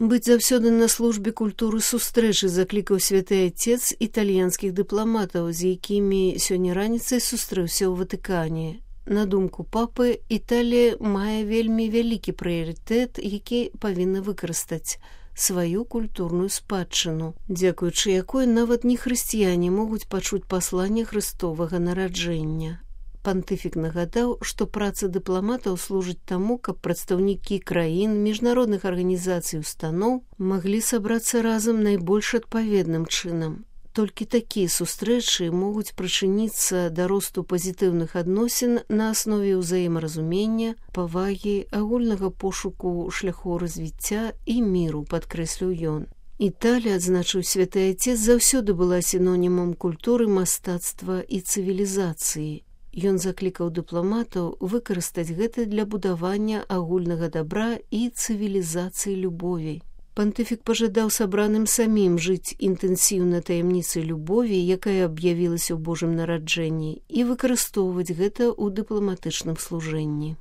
Быць заўсёды на службе культуры сустрэчы заклікаў святы Отец італьянскіх дыпламатаў, з якімі сёння раніцай сустрэўся ў Ватыкане. На думку папы, Італія мае вельмі вялікі прыярытэт, які павінна выкарыстаць сваю культурную спадчыну, дзякуючы якой нават нехрысціяне могуць пачуць пасланне Хрыстовага нараджэння. Пантыфік нагадаў, што праца дыпламатаў служыць таму, каб прадстаўнікі краін, міжнародных арганізацый і устаноў маглі сабрацца разам найбольш адпаведным чынам. Толькі такія сустрэчы могуць прычыніцца да росту пазітыўных адносін на аснове ўзаемаразумення, павагі, агульнага пошуку шляхоў развіцця і міру, падкрэсліў ён. Італія, адзначыў святы Отец, заўсёды была сінонімам культуры, мастацтва і цывілізацыі. Ён заклікаў дыпламатаў выкарыстаць гэта для будавання агульнага дабра і цывілізацыі любові. Пантыфік пажадаў сабраным самім жыць інтэнсіўна таямніцай любові, якая аб'явілася ў Божым нараджэнні, і выкарыстоўваць гэта ў дыпламатычным служэнні.